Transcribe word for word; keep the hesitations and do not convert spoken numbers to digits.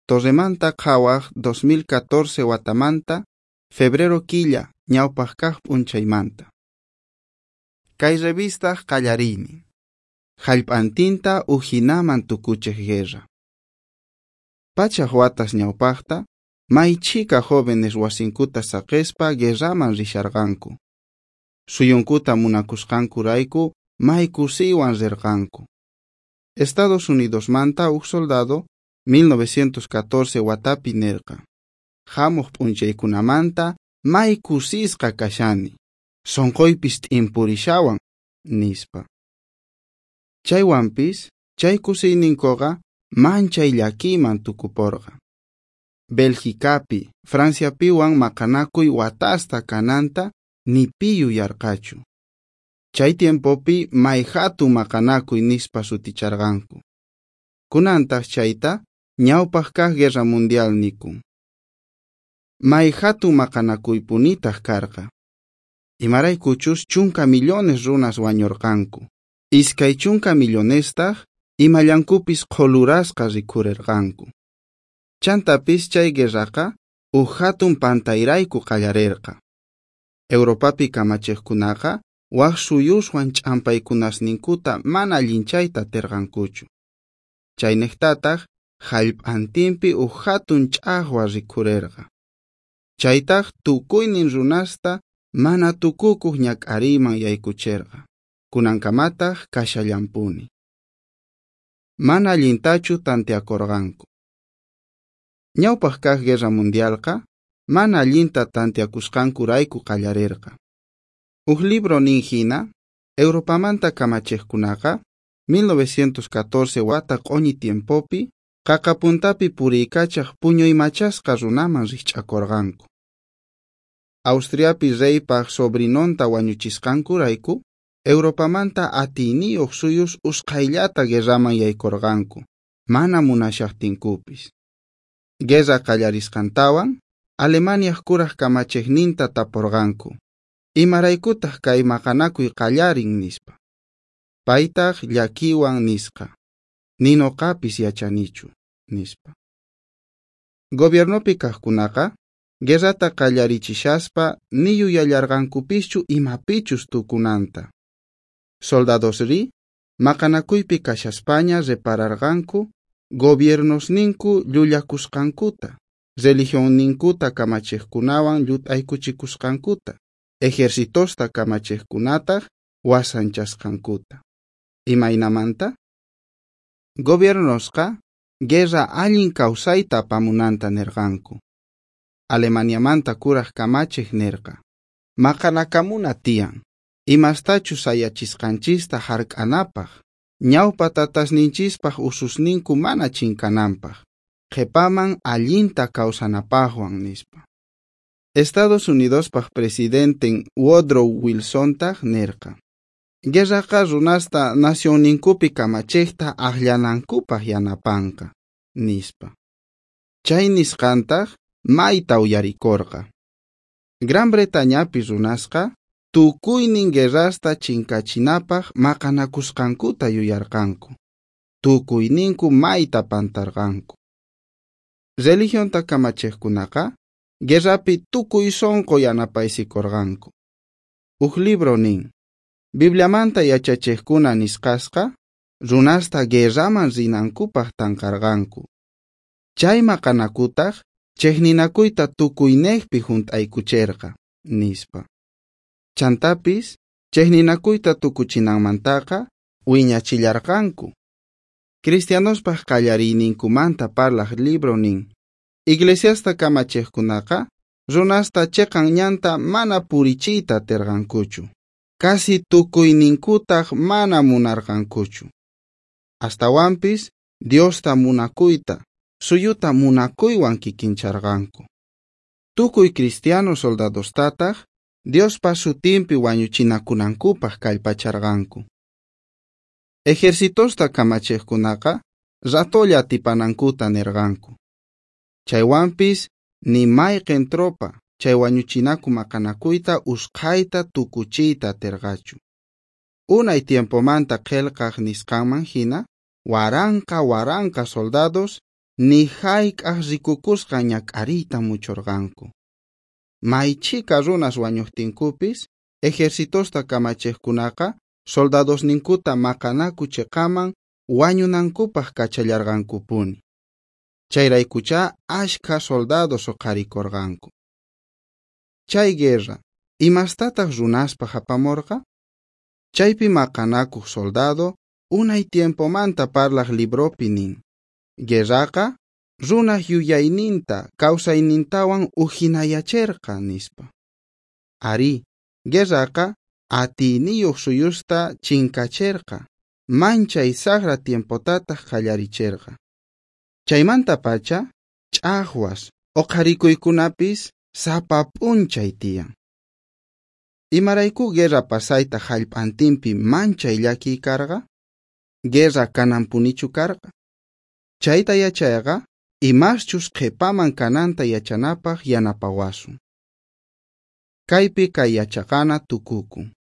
Torremanta Qhawaj dos mil catorce watamanta, febrero killa, ñawpaj kaj p'unchaymanta. Kay revistaj qallariynin. Jallp'antinta ujinaman tukuchej guerra. Pachaj watas ñawpajta, may chhika jóvenes wasinkuta saqespa guerraman risharqanku. Suyunkuta munakusqankurayku may kusiywan rirqanku. Estados Unidosmanta uj soldado mil novecientos catorce watapi nerqa: Hamuq p'unchaykunamanta may kusisqa kashani, sonqoypis t'impurishawan, nispa. Chaywanpis, chay kusiyninkuqa manchay llakiyman tukuporqa. Belgicapi, Franciapiwan maqanakuy watasta kananta ni pi yuyarqachu. Chay tiempopi may hatun maqanakuy nispa suticharqanku. Kunantaq chayta ñawpaq kaq guerra mundial nikun. May hatun maqanakuypunitaq karqa. Imaraykuchus chunka millones runas wañurqanku. Iskay chunka millonestaq imallankupis qholurasqa rikhurerqanku. Chantapis chay guerraqa uj hatun pantayrayku qallarerqa. Europapi kamachiqkunaqa waj suyuswan ch'ampaykunasninkuta mana allinchayta aterqankuchu. Chaynejtataq jallp'antinpi uj hatun ch'ajwa rikhurerqa. Chaytaq tukuynin runasta mana tukukuq ñak'ariyman yaykucherqa. Kunankamataq kashallampuni. Mana allintachu tanteakorqanku. Ñawpaq kaq guerra mundialqa mana allinta tanteakusqankurayku qallarerqa. Uj libro nin hina, Europamanta kamachiqkunaqa mil novecientos catorce wata q'uñi tiempopi qaqapuntapi puriykachaq puñuymachasqa runaman rikch'akorqanku. Austriapi reypaq sobrinonta wañuchisqankurayku, Europamanta atiyniyuq suyus usqhayllata guerraman yaykorqanku, mana munashaqtinkupis. Guerra qallarisqantawan, Alemaniaj kuraj kamachiqninta taporqanku: Imaraykutaq kay maqanakuy qallarin, nispa. Paytaq llakiywan nisqa: Ni noqapis yachanichu, nispa. Gobiernopi kaqkunaqa guerrata qallarichishaspa ni yuyallarqankupischu imapichus tukunanta. Soldadosri maqanakuypi kashaspaña repararqanku gobiernosninku llullakusqankuta, religionninkuta kamachiqkunawan llut'aykuchikusqankuta, ejercitosta kamachiqkunataq wasanchasqankuta. Imaynamanta? Gobiernosqa guerra allin kawsayta apamunanta nerqanku. Alemaniamanta kuraj kamachiq nerqa: Maqanakamuna tiyan, imastachus sayachisqanchista hark'anapaq, ñawpa tatasninchispaq ususninku mana chinkananpaq, qhipaman allinta kawsanapaqwan, nispa. Estados Unidospaq presidenten Woodrow Wilsontaq nerqa: Guerraqa runasta nacionninkupi kamachiqta aqllanankupaq yanapanqa, nispa. Chay nisqantaq mayta uyarikorqa. Gran Bretañapi runasqa tukuynin guerrasta chinkachinapaq maqanakusqankuta yuyarqanku. Tukuyninku mayta pantarqanku. Religionta kamachiqkunaqa guerrapi tukuy sonqo yanapaysikorqanku. Uj libro nin: Bibliamanta yachachiqkuna nisqasqa runasta guerraman rinankupaq tanqarqanku. Chay maqanakutaq chejninakuyta tukuynejpi junt'aykucherqa, nispa. Chantapis chejninakuyta tukuchinanmantaqa wiñachillarqanku. Cristianospaq qallariyninkumanta parlaq libro nin: Iglesiasta kamachiqkunaqa runasta chiqan ñanta mana purichiyta atirqankuchu. Casi tukuyninkutaq mana munarqankuchu. Astawanpis Diosta munakuyta, suyuta munakuywan kikincharqanku. Tukuy cristiano soldadostataq Diospa sutinpi wañuchinakunankupaq kallpacharqanku. Ejercitosta kamachiqkunaqa ratolla atipanankuta nirqanku. Chaywanpis ni mayqin tropa chay wañuchinaku maqanakuyta usqhayta tukuchiyta atirqachu. Unay tiempomanta qillqaq nisqanman hina, waranqa waranqa soldados ni jayk'aj rikukusqan ñak'ariyta muchorqanku. May chhika runas wañojtinkupis, ejercitosta kamachejkunaqa soldadosninkuta maqanaku cheqaman wañunankupaj kachallarqankupuni. Chayraykuchá ashkha soldados oqharikorqanku. Chay guerra, imastataq runaspaj apamorqa? Chaypi maqanakuq soldado unay tiempomanta parlaj libropi nin: Guerraqa runaj yuyayninta kawsaynintawan ujinayacherqa, nispa. Arí, guerraqa atiyniyuq suyusta chinkacherqa, manchay sajra tiempotataq qallaricherqa. Chaymantapacha ch'ajwas, oqharikuykunapis sapa p'unchay tiyan. Imarayku guerra pasayta jallp'antinpi manchay llakiy karqa? Guerra kananpunichu karqa? Chayta yachayqa imaschus qhipaman kananta yachanapaj yanapawasun. Kaypi kay yachaqana tukukun.